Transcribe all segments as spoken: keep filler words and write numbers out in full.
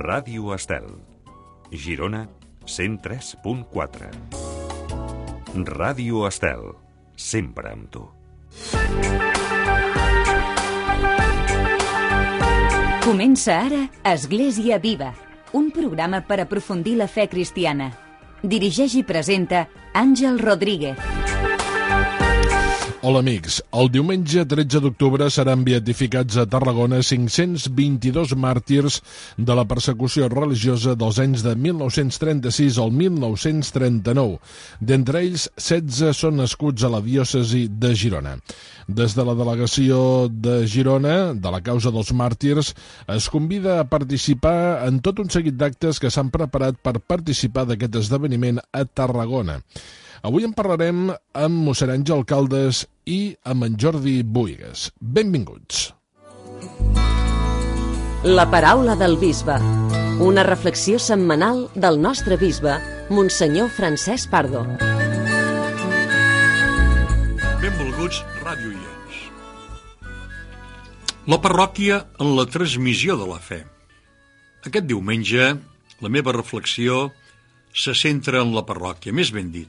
Ràdio Estel, Girona, cent tres punt quatre. Ràdio Estel, sempre amb tu. Comença ara Església Viva, un programa per aprofundir la fe cristiana. Dirigeix i presenta Àngel Rodríguez. Hola amics, el diumenge tretze d'octubre seran beatificats a Tarragona cinc-cents vint-i-dos màrtirs de la persecució religiosa dels anys de mil nou-cents trenta-sis al mil nou-cents trenta-nou. D'entre ells, setze són nascuts a la diòcesi de Girona. Des de la delegació de Girona, de la causa dels màrtirs, es convida a participar en tot un seguit d'actes que s'han preparat per participar d'aquest esdeveniment a Tarragona. Avui en parlarem amb mossèn Àngel Caldes i amb en Jordi Buigas. Benvinguts. La paraula del bisbe. Una reflexió setmanal del nostre bisbe, Monsenyor Francesc Pardo. Benvolguts radioients. La parròquia en la transmissió de la fe. Aquest diumenge, la meva reflexió se centra en la parròquia, més ben dit,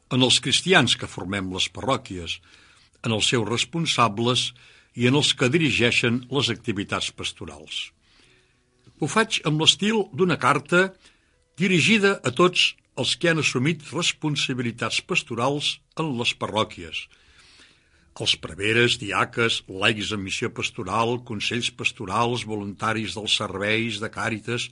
en els cristians que formem les parròquies, en els seus responsables i en els que dirigeixen les activitats pastorals. Ho faig amb l'estil d'una carta dirigida a tots els que han assumit responsabilitats pastorals en les parròquies. Els preveres, diaques, laics en missió pastoral, consells pastorals, voluntaris dels serveis de càritas,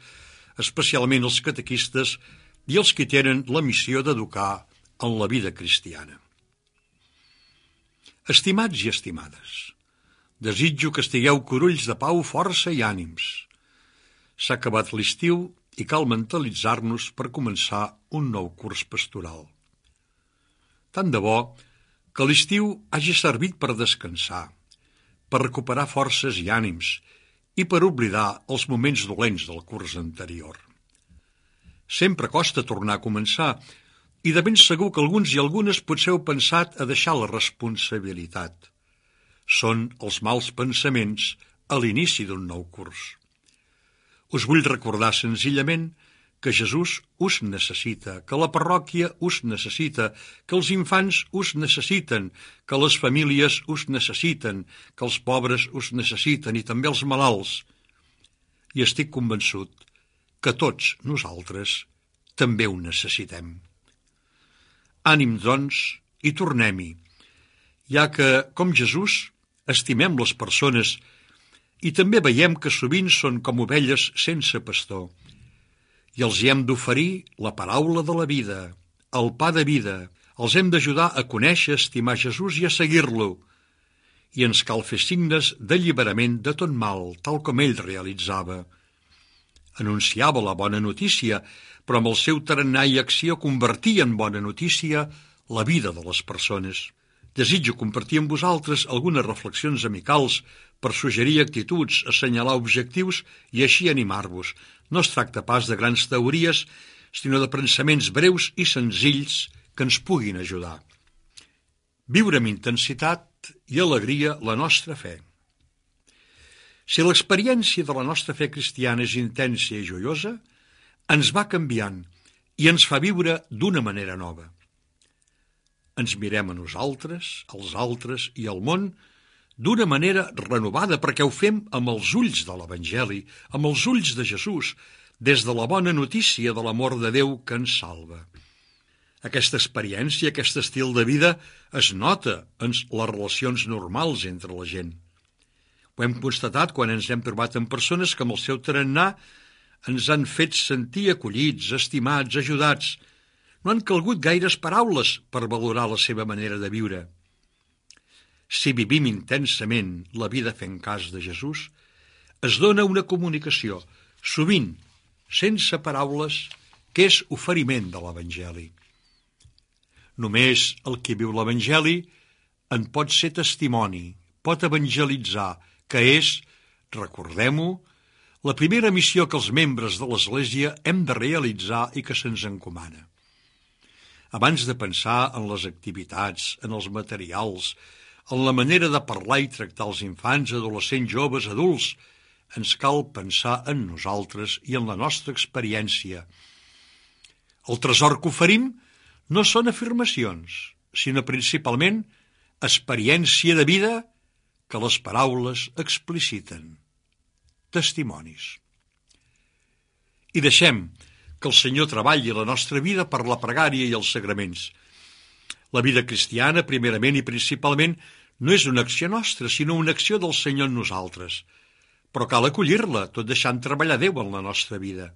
especialment els catequistes i els que tenen la missió d'educar en la vida cristiana. Estimats i estimades, desitjo que estigueu corulls de pau, força i ànims. S'ha acabat l'estiu i cal mentalitzar-nos per començar un nou curs pastoral. Tant de bo que l'estiu hagi servit per descansar, per recuperar forces i ànims i per oblidar els moments dolents del curs anterior. Sempre costa tornar a començar, i de ben segur que alguns i algunes potser heu pensat a deixar la responsabilitat. Són els mals pensaments a l'inici d'un nou curs. Us vull recordar senzillament que Jesús us necessita, que la parròquia us necessita, que els infants us necessiten, que les famílies us necessiten, que els pobres us necessiten i també els malalts. I estic convençut que tots nosaltres també ho necessitem. Ànim, doncs, i tornem-hi, ja que, com Jesús, estimem les persones i també veiem que sovint són com ovelles sense pastor i els hi hem d'oferir la paraula de la vida, el pa de vida, els hem d'ajudar a conèixer, estimar Jesús i a seguir-lo. I ens cal fer signes d'alliberament de tot mal, tal com ell realitzava. Anunciava la bona notícia, però amb el seu tarannà i acció convertia en bona notícia la vida de les persones. Desitjo compartir amb vosaltres algunes reflexions amicals per suggerir actituds, assenyalar objectius i així animar-vos. No es tracta pas de grans teories, sinó de pensaments breus i senzills que ens puguin ajudar. Viure amb intensitat i alegria la nostra fe. Si l'experiència de la nostra fe cristiana és intensa i joiosa, ens va canviant i ens fa viure d'una manera nova. Ens mirem a nosaltres, als altres i al món d'una manera renovada perquè ho fem amb els ulls de l'Evangeli, amb els ulls de Jesús, des de la bona notícia de l'amor de Déu que ens salva. Aquesta experiència, aquest estil de vida es nota en les relacions normals entre la gent. Ho hem constatat quan ens hem trobat amb persones que amb el seu tarannà ens han fet sentir acollits, estimats, ajudats. No han calgut gaires paraules per valorar la seva manera de viure. Si vivim intensament la vida fent cas de Jesús, es dona una comunicació, sovint, sense paraules, que és oferiment de l'Evangeli. Només el que viu l'Evangeli en pot ser testimoni, pot evangelitzar, que és, recordem-ho, la primera missió que els membres de l'Església hem de realitzar i que se'ns encomana. Abans de pensar en les activitats, en els materials, en la manera de parlar i tractar els infants, adolescents, joves, adults, ens cal pensar en nosaltres i en la nostra experiència. El tresor que oferim no són afirmacions, sinó principalment experiència de vida que les paraules expliciten. Testimonis. I deixem que el Senyor treballi la nostra vida per la pregària i els sagraments. La vida cristiana, primerament i principalment, no és una acció nostra, sinó una acció del Senyor en nosaltres. Però cal acollir-la, tot deixant treballar Déu en la nostra vida.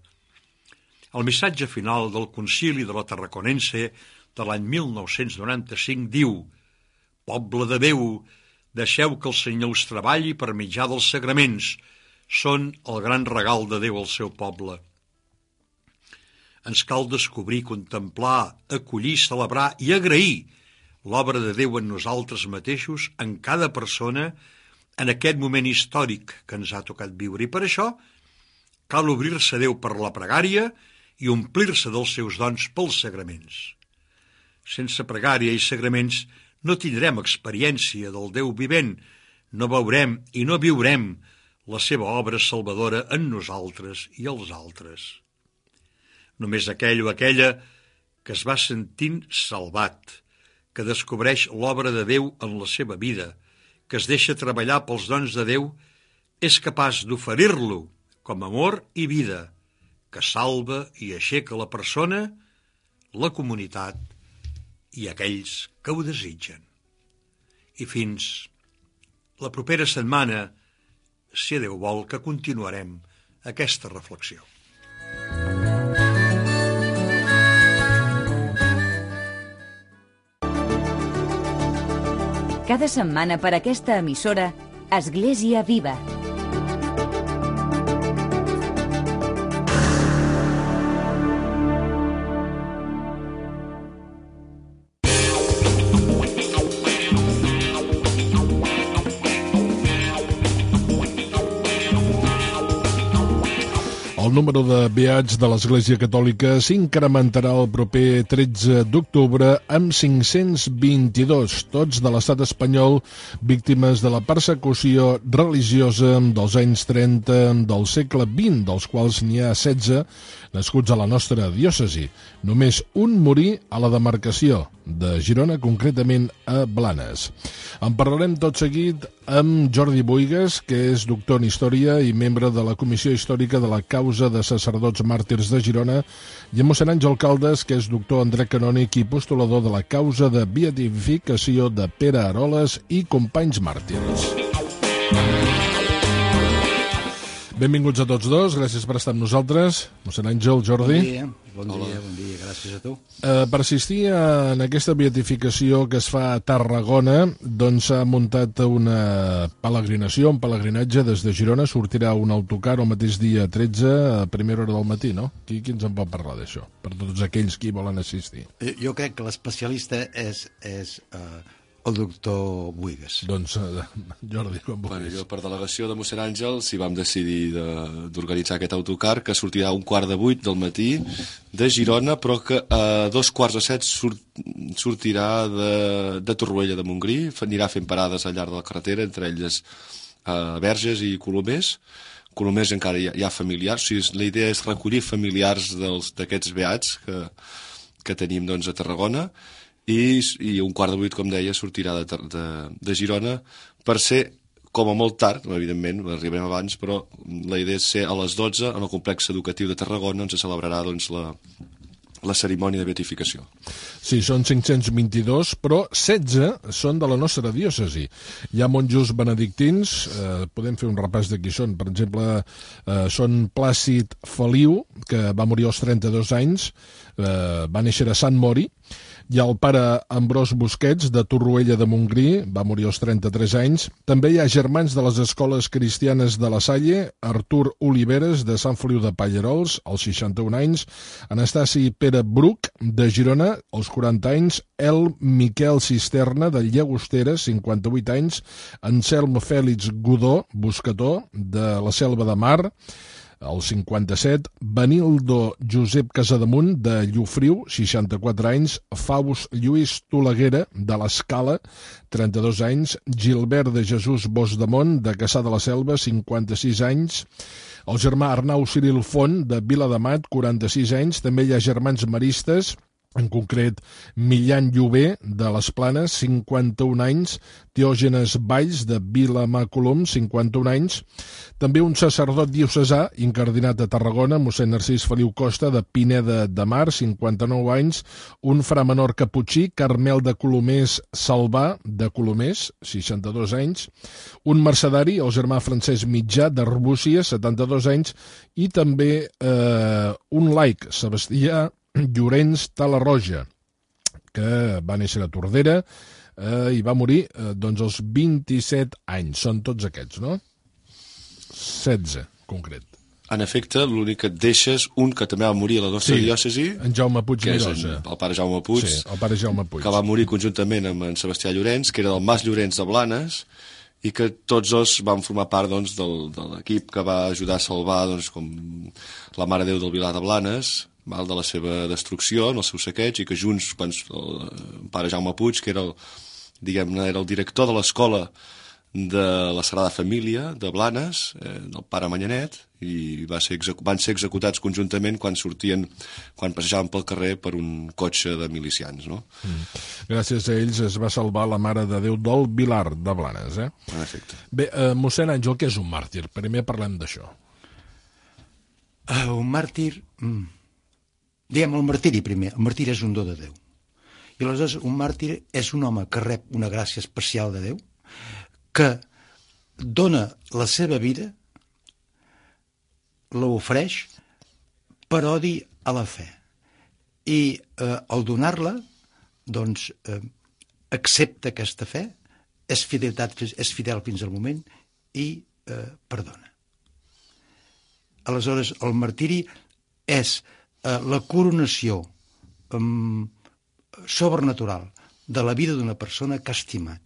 El missatge final del Concili de la Tarraconense de l'any mil nou-cents noranta-cinc diu: «Poble de Déu, deixeu que el Senyor us treballi per mitjà dels sagraments. Són el gran regal de Déu al seu poble». Ens cal descobrir, contemplar, acollir, celebrar i agrair l'obra de Déu en nosaltres mateixos, en cada persona, en aquest moment històric que ens ha tocat viure. I per això cal obrir-se a Déu per la pregària i omplir-se dels seus dons pels sagraments. Sense pregària i sagraments no tindrem experiència del Déu vivent, no veurem i no viurem la seva obra salvadora en nosaltres i els altres. Només aquell o aquella que es va sentint salvat, que descobreix l'obra de Déu en la seva vida, que es deixa treballar pels dons de Déu, és capaç d'oferir-lo com amor i vida, que salva i aixeca la persona, la comunitat i aquells que ho desitgen. I fins la propera setmana, si Déu vol, que continuarem aquesta reflexió. Cada setmana per aquesta emissora, Església Viva. El número de beats de l'Església Catòlica s'incrementarà el proper tretze d'octubre amb cinc-cents vint-i-dos, tots de l'estat espanyol, víctimes de la persecució religiosa dels anys trenta del segle vint, dels quals n'hi ha setze nascuts a la nostra diòcesi. Només un morí a la demarcació de Girona, concretament a Blanes. En parlarem tot seguit amb Jordi Boigas, que és doctor en Història i membre de la Comissió Històrica de la Causa de Sacerdots Màrtirs de Girona, i amb mossèn Àngel Caldes, que és doctor en dret canònic i postulador de la causa de beatificació de Pere Aroles i companys màrtirs. Benvinguts a tots dos, gràcies per estar amb nosaltres. Mossèn Àngel, Jordi. Bon dia, bon dia, bon dia, gràcies a tu. Eh, per assistir en aquesta beatificació que es fa a Tarragona, doncs s'ha muntat una peregrinació, un pelegrinatge des de Girona. Sortirà un autocar el mateix dia tretze a primera hora del matí, no? Qui, qui ens en pot parlar d'això? Per tots aquells que hi volen assistir. Jo crec que l'especialista és, és uh, el doctor Boigas. Doncs, uh, Jordi, com vulguis. Bueno, jo, per delegació de mossèn Àngel, si vam decidir d'organitzar aquest autocar, que sortirà a un quart de vuit del matí de Girona, però que a dos quarts de set surt, sortirà de, de Torroella de Montgrí, anirà fent parades al llarg de la carretera, entre elles uh, Verges i Colomers. Colomers encara hi ha, hi ha familiars, o sigui, la idea és recollir familiars d'aquests beats que, que tenim doncs, a Tarragona, i, i un quart de vuit, com deia, sortirà de, de, de Girona per ser, com a molt tard, evidentment, arribarem abans, però la idea és ser a les dotze en el complex educatiu de Tarragona, on se celebrarà doncs, la, la cerimònia de beatificació. Sí, són cinc-cents vint-i-dos, però setze són de la nostra diòcesi. Hi ha monjos benedictins, eh, podem fer un repàs de qui són. Per exemple, eh, són Plàcid Feliu, que va morir als trenta-dos anys, eh, va néixer a Sant Mori. Hi ha el pare Ambròs Busquets, de Torroella de Montgrí, va morir als trenta-tres anys. També hi ha germans de les escoles cristianes de la Salle, Artur Oliveres, de Sant Feliu de Pallerols, als seixanta-un anys, Anastasi Pere Bruc, de Girona, als quaranta anys, El Miquel Cisterna, de Llagostera, cinquanta-vuit anys, Anselm Fèlix Godó, buscador, de la Selva de Mar, el cinquanta-set, Benildo Josep Casademunt, de Llofriu, seixanta-quatre anys, Faust Lluís Toleguera, de l'Escala, trenta-dos anys, Gilbert de Jesús Bosdemont, de Cassà de la Selva, cinquanta-sis anys, el germà Arnau Ciril Font, de Viladamat, quaranta-sis anys, també hi ha germans maristes, en concret Millan Llobé, de les Planes, cinquanta-un anys, Teògenes Valls, de Vilamàcolum, cinquanta-un anys, també un sacerdot diocesà, incardinat a Tarragona, mossèn Narcís Feliu Costa, de Pineda de Mar, cinquanta-nou anys, un fra menor caputxí, Carmel de Colomers Salvà, de Colomers, seixanta-dos anys, un mercedari, el germà Francesc Mitjà, d'Arbúcies, setanta-dos anys, i també eh, un laic, Sebastià Llorenç Talarroja, que va néixer a Tordera eh, i va morir eh, doncs als vint-i-set anys. Són tots aquests, no? setze, concret. En efecte, l'únic que et deixes, un que també va morir a la nostra Sí, diòcesi, en Jaume Puig que és en, Mirosa. el pare Jaume Puig, Sí, el pare Jaume Puig. que va morir conjuntament amb en Sebastià Llorenç, que era del Mas Llorenç de Blanes, i que tots dos van formar part doncs, del, de l'equip que va ajudar a salvar doncs, com la Mare Déu del Vilar de Blanes, mal de la seva destrucció, en el seu saqueig, i que junts, quan el, el pare Jaume Puig, que era el, diguem-ne, era el director de l'escola de la Sagrada Família de Blanes, eh, del pare Manyanet, i va ser execu van ser executats conjuntament quan sortien, quan passejaven pel carrer per un cotxe de milicians, no? Mm. Gràcies a ells es va salvar la Mare de Déu del Vilar de Blanes, eh? En efecte. Bé, eh, mossèn Àngel, què és un màrtir? Primer parlem d'això. Uh, un màrtir... Mm. Diguem el martiri primer. El martiri és un do de Déu. I aleshores un màrtir és un home que rep una gràcia especial de Déu, que dona la seva vida, l'ofereix per odi a la fe. I eh, al donar-la, doncs, eh, accepta aquesta fe, és, fidelitat, és fidel fins al moment i eh, perdona. Aleshores, el martiri és eh, la coronació eh, sobrenatural de la vida d'una persona que ha estimat,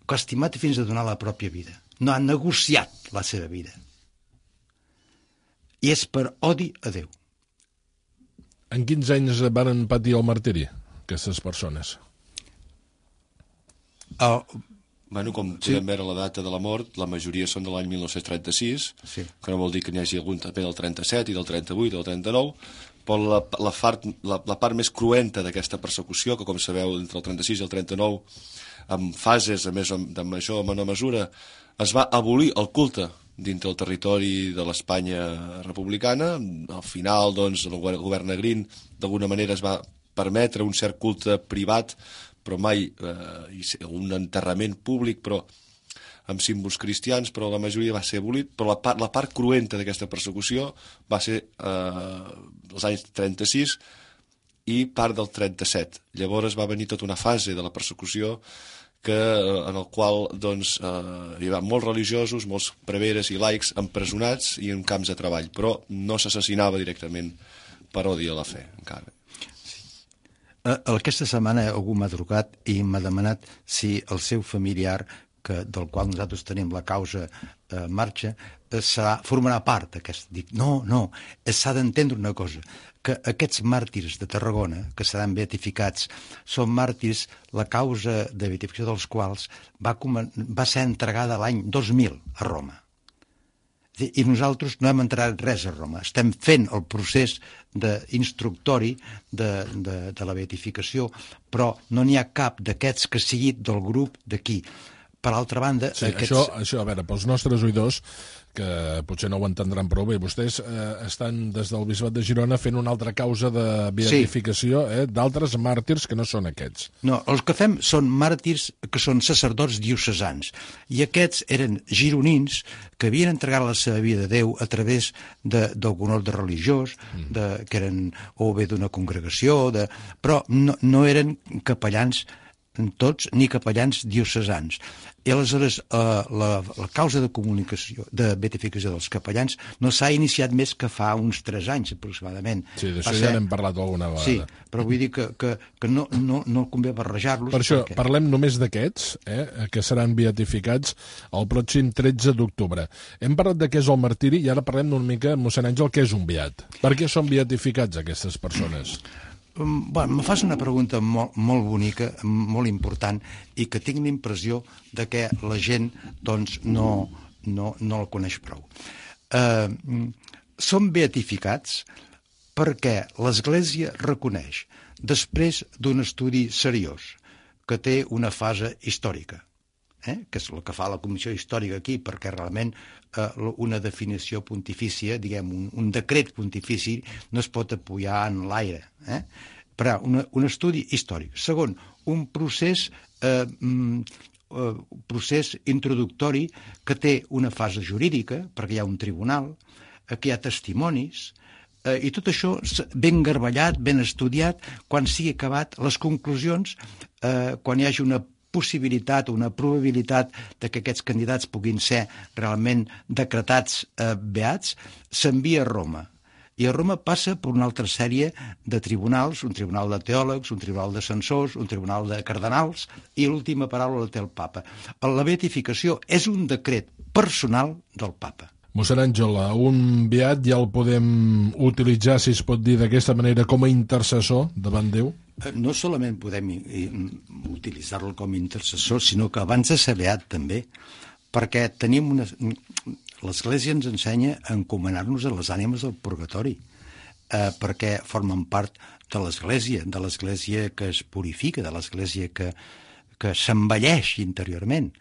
que ha estimat fins a donar la pròpia vida. No ha negociat la seva vida. I és per odi a Déu. En quins anys van patir el martiri, aquestes persones? El... Bueno, com Sí. podem veure la data de la mort, la majoria són de l'any mil nou-cents trenta-sis, Sí. que no vol dir que n'hi hagi algun també del trenta-set i del trenta-vuit, del trenta-nou, però la, la, part, la, la part més cruenta d'aquesta persecució, que com sabeu, entre el trenta-sis i el trenta-nou, amb fases a més, de major o menor mesura, es va abolir el culte dintre el territori de l'Espanya republicana. Al final, doncs, el govern Negrín, d'alguna manera, es va permetre un cert culte privat, però mai eh, un enterrament públic, però amb símbols cristians, però la majoria va ser abolit. Però la part, la part cruenta d'aquesta persecució va ser eh, els anys trenta-sis i part del trenta-set. Llavors va venir tota una fase de la persecució que, en el qual doncs, eh, hi va molts religiosos, molts preveres i laics empresonats i en camps de treball, però no s'assassinava directament per odi a la fe, encara. Aquesta setmana algú m'ha trucat i m'ha demanat si el seu familiar, que, del qual nosaltres tenim la causa en eh, marxa, eh, serà, formarà part d'aquest. Dic, no, no, s'ha d'entendre una cosa, que aquests màrtirs de Tarragona, que seran beatificats, són màrtirs, la causa de beatificació dels quals va, va ser entregada l'any dos mil a Roma. I nosaltres no hem entrat res a Roma. Estem fent el procés d'instructori de, de, de la beatificació, però no n'hi ha cap d'aquests que sigui del grup d'aquí. Per altra banda... Sí, aquests... això, això, a veure, pels nostres oïdors, que potser no ho entendran prou bé, vostès eh, estan des del Bisbat de Girona fent una altra causa de beatificació, sí. eh, d'altres màrtirs que no són aquests. No, els que fem són màrtirs que són sacerdots diocesans, i aquests eren gironins que havien entregat la seva vida a Déu a través d'algun ordre religiós, de, que eren o bé d'una congregació, de, però no, no eren capellans tots, ni capellans diocesans. I aleshores eh, la, la causa de comunicació, de beatificació dels capellans no s'ha iniciat més que fa uns tres anys aproximadament. Sí, d'això ja n'hem parlat alguna vegada. Sí, però vull dir que, que, que no, no, no convé barrejar-los. Per això perquè... parlem només d'aquests, eh, que seran beatificats el pròxim tretze d'octubre. Hem parlat de què és el martiri i ara parlem una mica, mossèn Àngel, què és un beat. Per què són beatificats aquestes persones? Bueno, me fas una pregunta molt, molt bonica, molt important, i que tinc l'impressió de que la gent doncs, no, no, no el coneix prou. Eh, són beatificats perquè l'Església reconeix, després d'un estudi seriós, que té una fase històrica, eh? que és el que fa la Comissió Històrica aquí, perquè realment eh, una definició pontifícia, diguem, un, un decret pontifici no es pot apoyar en l'aire, eh? però una, un estudi històric. Segon, un procés, eh, eh, procés introductori que té una fase jurídica, perquè hi ha un tribunal, eh, que hi ha testimonis, eh, i tot això ben garballat, ben estudiat, quan sigui acabat, les conclusions, eh, quan hi hagi una possibilitat, una probabilitat de que aquests candidats puguin ser realment decretats eh, beats, s'envia a Roma. I a Roma passa per una altra sèrie de tribunals, un tribunal de teòlegs, un tribunal de censors, un tribunal de cardenals, i l'última paraula la té el papa. La beatificació és un decret personal del papa. Mossèn Àngel, un beat ja el podem utilitzar, si es pot dir d'aquesta manera, com a intercessor davant Déu? No solament podem utilitzar-lo com a intercessor, sinó que abans de ser beat també, perquè tenim una... L'Església ens ensenya a encomanar-nos a les ànimes del purgatori, eh, perquè formen part de l'Església, de l'Església que es purifica, de l'Església que, que s'envelleix interiorment.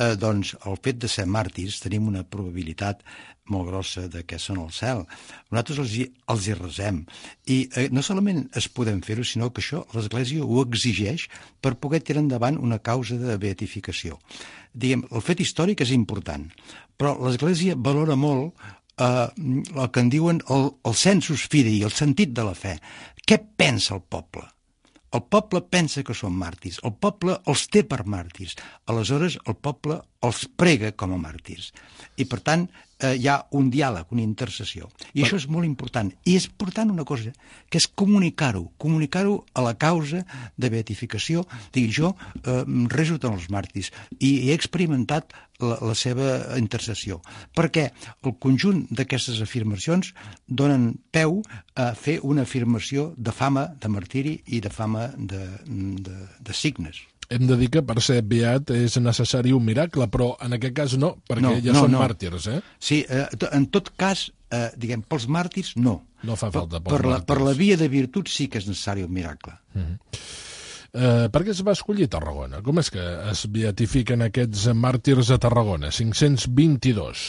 Eh, doncs el fet de ser màrtirs tenim una probabilitat molt grossa de que són al cel. Nosaltres els hi, els hi resem. I eh, no solament es podem fer-ho, sinó que això l'Església ho exigeix per poder tirar endavant una causa de beatificació. Diguem, el fet històric és important, però l'Església valora molt eh, el que en diuen el, el sensus fidei, el sentit de la fe. Què pensa el poble? El poble pensa que són màrtirs, el poble els té per màrtirs, aleshores el poble els prega com a màrtirs. I per tant eh, hi ha un diàleg, una intercessió. I això és molt important. I és important una cosa, que és comunicar-ho, comunicar-ho a la causa de beatificació. Dic, jo eh, reso tant els màrtirs i he experimentat la, la seva intercessió, perquè el conjunt d'aquestes afirmacions donen peu a fer una afirmació de fama de martiri i de fama de, de, de signes. Hem de dir que per ser beat és necessari un miracle, però en aquest cas no, perquè no, ja no, són no. màrtirs, eh? Sí, eh, en tot cas, eh, diguem, pels màrtirs, no. No fa falta pels per la, màrtirs. Per la via de virtut sí que és necessari un miracle. Mm-hmm. eh, per què es va escollir Tarragona? Com és que es beatifiquen aquests màrtirs a Tarragona? cinc-cents vint-i-dos.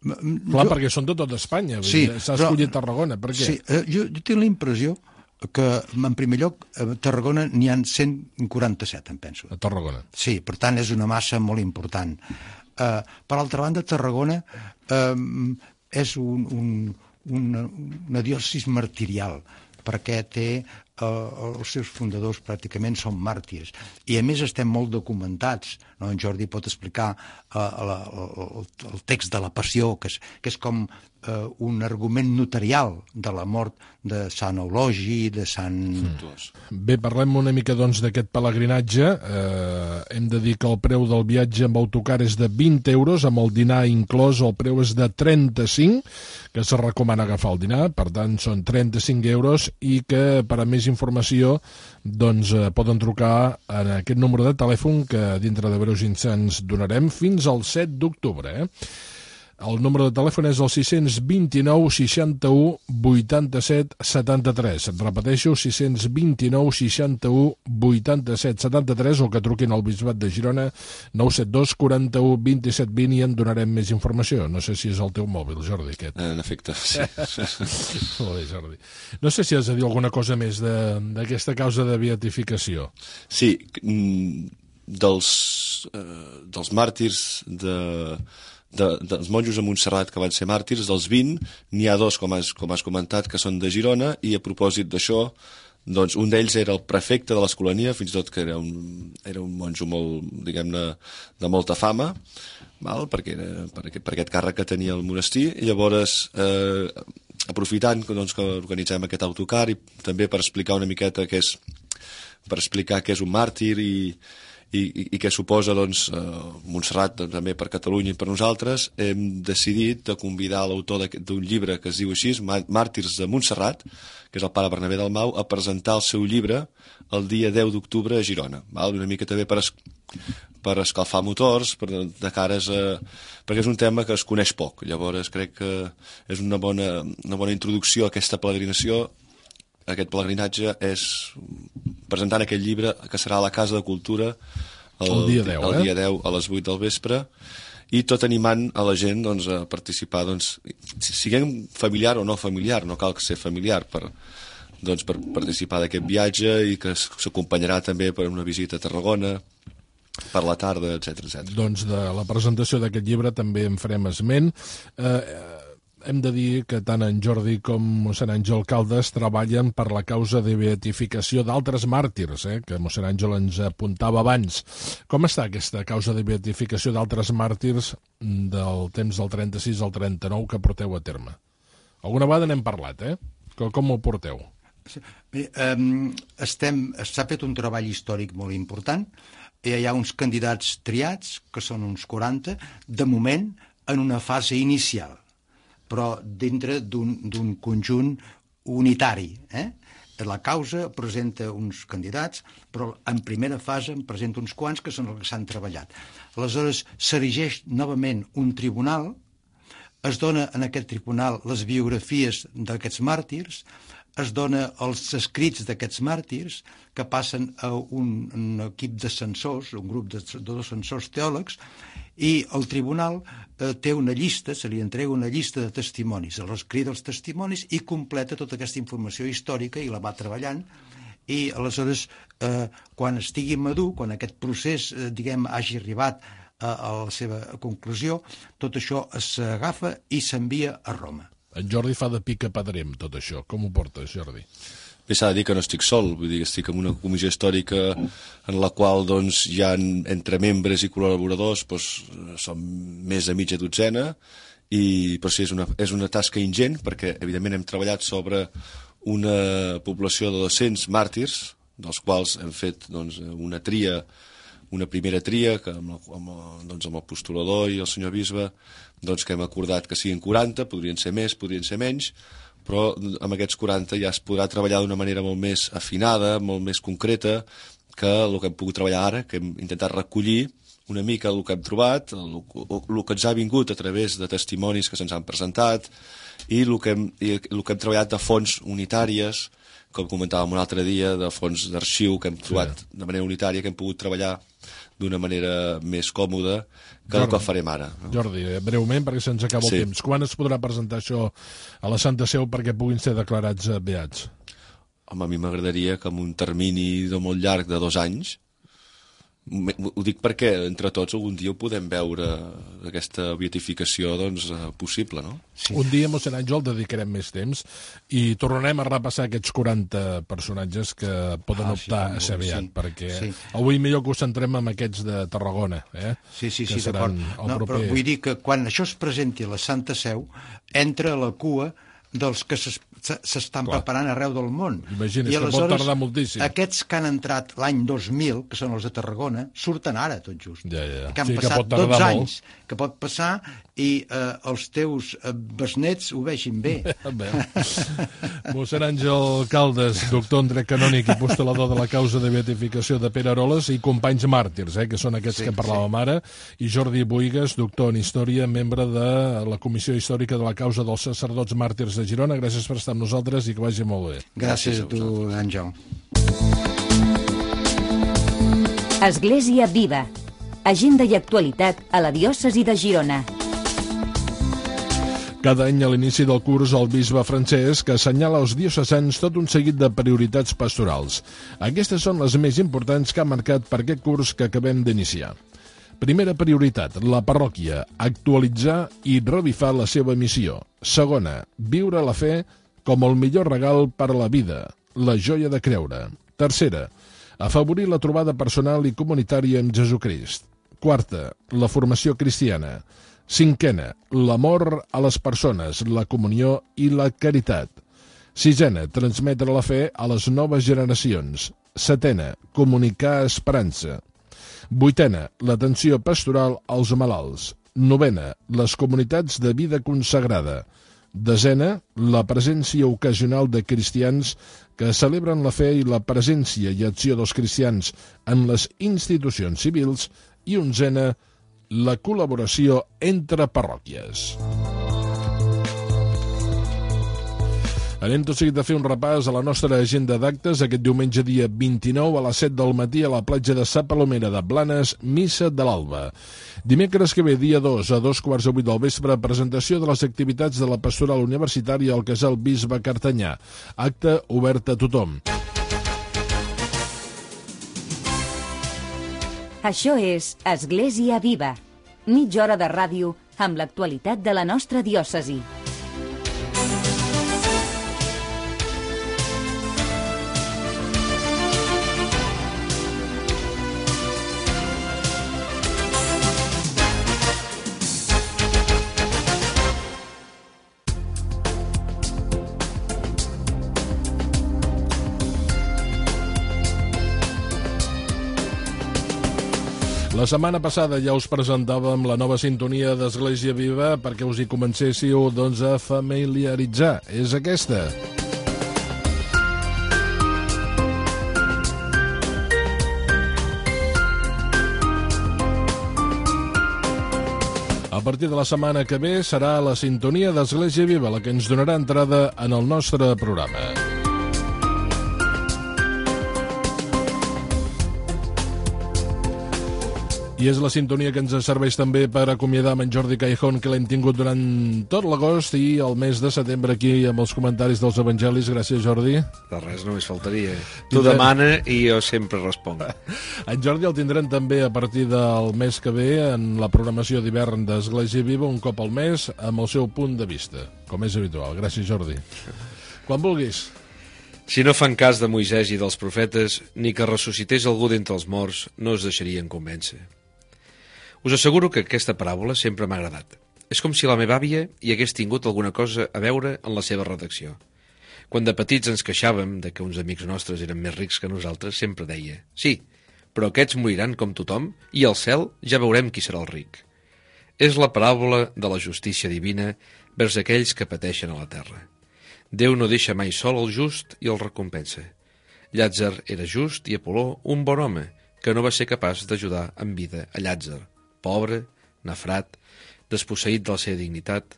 Clar, jo... perquè són de tot Espanya. Sí, s'ha escollit però... Tarragona. Per què? Sí, eh, jo, jo tinc la impressió que, en primer lloc, a Tarragona n'hi ha cent quaranta-set, em penso. A Tarragona. Sí, per tant, és una massa molt important. Uh, per altra banda, Tarragona uh, és un, un, una, una diòcesis martirial, perquè té uh, els seus fundadors pràcticament són màrtirs. I, a més, estem molt documentats. No? En Jordi pot explicar uh, la, el, el text de la Passió, que és, que és com uh, un argument notarial de la mort de Sant Eulogi, de Sant... Bé, parlem una mica doncs d'aquest pelegrinatge. Eh, hem de dir que el preu del viatge amb autocar és de vint euros, amb el dinar inclòs el preu és de trenta-cinc, que se recomana agafar el dinar, per tant són trenta-cinc euros, i que per a més informació doncs eh, poden trucar en aquest número de telèfon que dintre de breus instants donarem fins al set d'octubre, eh? El número de telèfon és el sis dos nou seixanta-u vuitanta-set setanta-tres. Et repeteixo, sis dos nou seixanta-u vuitanta-set setanta-tres, o que truquin al Bisbat de Girona nou set dos quaranta-u vint-i-set vint i en donarem més informació. No sé si és el teu mòbil, Jordi, aquest. En efecte, sí. Molt bé, Jordi. No sé si has de dir alguna cosa més d'aquesta causa de beatificació. Sí, dels, eh, dels màrtirs de... De, dels monjos a Montserrat que van ser màrtirs, dels vint, n'hi ha dos, com has, com has comentat, que són de Girona, i a propòsit d'això, doncs un d'ells era el prefecte de l'Escolania, fins i tot que era un, era un monjo molt, diguem-ne, de molta fama, val? Perquè era, per, aquest, per aquest càrrec que tenia el monestir, i llavors, eh, aprofitant doncs, que organitzem aquest autocar i també per explicar una miqueta què és, per explicar què és un màrtir i i, i, i què suposa doncs, eh, Montserrat doncs, també per Catalunya i per nosaltres, hem decidit de convidar l'autor d'un llibre que es diu així, Màrtirs de Montserrat, que és el pare Bernabé Dalmau, a presentar el seu llibre el dia deu d'octubre a Girona. Val? Una mica també per, es, per escalfar motors, per, de cares a, perquè és un tema que es coneix poc. Llavors crec que és una bona, una bona introducció a aquesta peregrinació. Aquest pelegrinatge és presentant aquest llibre que serà a la Casa de Cultura el, el dia deu, el eh? dia deu a les vuit del vespre, i tot animant a la gent doncs, a participar, doncs, siguem familiar o no familiar, no cal ser familiar per, doncs, per participar d'aquest viatge, i que s'acompanyarà també per una visita a Tarragona per la tarda, etcètera, etcètera. Doncs de la presentació d'aquest llibre també en farem esment. Eh, Hem de dir que tant en Jordi com mossèn Àngel Caldes treballen per la causa de beatificació d'altres màrtirs, eh, que mossèn Àngel ens apuntava abans. Com està aquesta causa de beatificació d'altres màrtirs del temps del trenta-sis al trenta-nou que porteu a terme? Alguna vegada n'hem parlat, eh? Com, com ho porteu? Bé, um, estem, s'ha fet un treball històric molt important. Hi ha uns candidats triats, que són uns quaranta, de moment en una fase inicial, però dintre d'un conjunt unitari. Eh? La causa presenta uns candidats, però en primera fase en presenta uns quants que són els que s'han treballat. Aleshores, s'erigeix novament un tribunal, es dona en aquest tribunal les biografies d'aquests màrtirs, es dona els escrits d'aquests màrtirs, que passen a un, un equip de censors, un grup de, de dos censors teòlegs, i el tribunal eh, té una llista, se li entrega una llista de testimonis, els crida els testimonis i completa tota aquesta informació històrica i la va treballant, i aleshores, eh, quan estigui madur, quan aquest procés, eh, diguem, hagi arribat a, a la seva conclusió, tot això s'agafa i s'envia a Roma. En Jordi fa de pica pedrem tot això. Com ho portes, Jordi? Bé, s'ha de dir que no estic sol, vull dir que estic en una comissió històrica en la qual doncs, hi ha entre membres i col·laboradors doncs, som més de mitja dotzena, i, però sí, és una, és una tasca ingent, perquè evidentment hem treballat sobre una població de dos-cents màrtirs, dels quals hem fet doncs, una tria, una primera tria, que amb, el, amb, el, doncs, amb el postulador i el senyor bisbe, doncs, que hem acordat que siguin quaranta, podrien ser més, podrien ser menys, però amb aquests quaranta ja es podrà treballar d'una manera molt més afinada, molt més concreta, que el que hem pogut treballar ara, que hem intentat recollir una mica el que hem trobat, el, el que ens ha vingut a través de testimonis que se'ns han presentat, i el que hem, i el que hem treballat de fonts unitàries, com comentàvem un altre dia, de fons d'arxiu que hem trobat sí. de manera unitària, que hem pogut treballar d'una manera més còmoda que Jordi, el que farem ara. No? Jordi, breument, perquè se'ns acaba el sí. temps. Quan es podrà presentar això a la Santa Seu perquè puguin ser declarats beats? Home, a mi m'agradaria que en un termini de molt llarg, de dos anys, ho dic perquè entre tots algun dia ho podem veure, aquesta beatificació doncs, possible, no? Sí. Un dia, mossèn Àngel, dedicarem més temps i tornarem a repassar aquests quaranta personatges que poden ah, optar sí, a ser beat, sí, perquè sí. avui millor que ho centrem en aquests de Tarragona, eh? Sí, sí, sí, d'acord. No, proper... Però vull dir que quan això es presenti a la Santa Seu, entra a la cua dels que s'estan preparant arreu del món. Imagina't, que pot tardar moltíssim. Aquests que han entrat l'any dos mil, que són els de Tarragona, surten ara, tot just. Ja, ja. Que han sí, passat que dotze anys, que pot passar, i eh, els teus eh, besnets ho vegin bé. bé. Mossèn Àngel Caldes, doctor en dret canònic i postulador de la causa de beatificació de Pere Aroles, i companys màrtirs, eh, que són aquests sí, que parlàvem sí. ara, i Jordi Buigas, doctor en història, membre de la Comissió Històrica de la causa dels sacerdots màrtirs de Girona. Gràcies per estar amb nosaltres i que vagi molt bé. Gràcies, Gràcies a tu, Àngel. Església Viva. Agenda i actualitat a la diòcesi de Girona. Cada any a l'inici del curs el bisbe Francesc assenyala als diocesans tot un seguit de prioritats pastorals. Aquestes són les més importants que ha marcat per aquest curs que acabem d'iniciar. Primera prioritat, la parròquia, actualitzar i revifar la seva missió. Segona, viure la fe com el millor regal per a la vida. la joia de creure. Tercera, afavorir la trobada personal i comunitària amb Jesucrist. Quarta, la formació cristiana. Cinquena, l'amor a les persones, la comunió i la caritat. Sisena, transmetre la fe a les noves generacions. Setena, comunicar esperança. Vuitena, l'atenció pastoral als malalts. Novena, les comunitats de vida consagrada. Desena, la presència ocasional de cristians que celebren la fe i la presència i acció dels cristians en les institucions civils. I onzena, la col·laboració entre parròquies. Anem tot seguit a fer un repàs a la nostra agenda d'actes. Aquest diumenge dia vint-i-nou a les set del matí a la platja de Sa Palomera de Blanes, missa de l'alba. Dimecres que ve, dia dos, a dos quarts de vuit del vespre, presentació de les activitats de la pastoral universitària al Casal Bisbe Cartanyà. Acte obert a tothom. Això és Església Viva, mitja hora de ràdio amb l'actualitat de la nostra diòcesi. La setmana passada ja us presentàvem la nova sintonia d'Església Viva perquè us hi comencéssiu doncs, a familiaritzar. És aquesta. A partir de la setmana que ve serà la sintonia d'Església Viva la que ens donarà entrada en el nostre programa. I és la sintonia que ens serveix també per acomiadar amb en Jordi Caijón, que l'hem tingut durant tot l'agost i el mes de setembre aquí amb els comentaris dels evangelis. Gràcies, Jordi. De res, només faltaria. Tu demana i jo sempre responc. En Jordi el tindrem també a partir del mes que ve en la programació d'hivern d'Església Viva, un cop al mes, amb el seu punt de vista, com és habitual. Gràcies, Jordi. Quan vulguis. Si no fan cas de Moisès i dels profetes, ni que ressuscités algú d'entre els morts, no es deixarien convèncer. Us asseguro que aquesta paràbola sempre m'ha agradat. És com si la meva àvia hi hagués tingut alguna cosa a veure en la seva redacció. Quan de petits ens queixàvem de que uns amics nostres eren més rics que nosaltres, sempre deia: sí, però aquests moriran com tothom i al cel ja veurem qui serà el ric. És la paràbola de la justícia divina vers aquells que pateixen a la terra. Déu no deixa mai sol el just i el recompensa. Llàtzer era just i Apoló un bon home que no va ser capaç d'ajudar en vida a Llàtzer, pobre, nafrat, desposseït de la seva dignitat,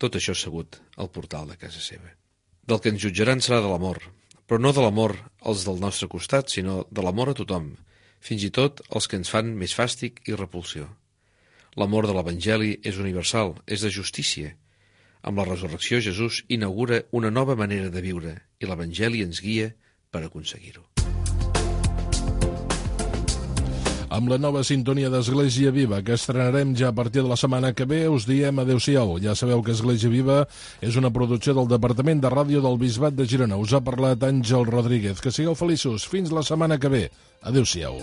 tot això assegut al portal de casa seva. Del que ens jutjaran serà de l'amor, però no de l'amor als del nostre costat, sinó de l'amor a tothom, fins i tot els que ens fan més fàstic i repulsió. L'amor de l'Evangeli és universal, és de justícia. Amb la resurrecció Jesús inaugura una nova manera de viure i l'Evangeli ens guia per aconseguir-ho. Amb la nova sintonia d'Església Viva, que estrenarem ja a partir de la setmana que ve, us diem adeu-siau. Ja sabeu que Església Viva és una producció del Departament de Ràdio del Bisbat de Girona. Us ha parlat Àngel Rodríguez. Que sigueu feliços. Fins la setmana que ve. Adeu-siau.